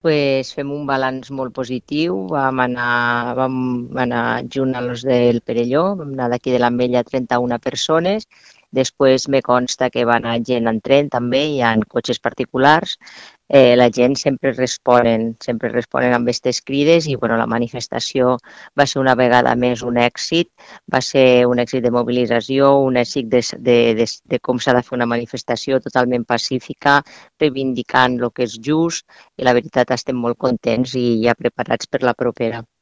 Pues fem un balanç molt positiu. Vam anar junt a los del Perelló, vam anar d'aquí de l'Ametlla 31 persones. Després me consta que va anar gent en tren també, hi ha cotxes particulars. La gent sempre responen amb aquestes crides i bueno, la manifestació va ser una vegada més un èxit, va ser un èxit de mobilització, un èxit de com s'ha de fer una manifestació totalment pacífica, reivindicant el que és just i la veritat estem molt contents i ja preparats per la propera.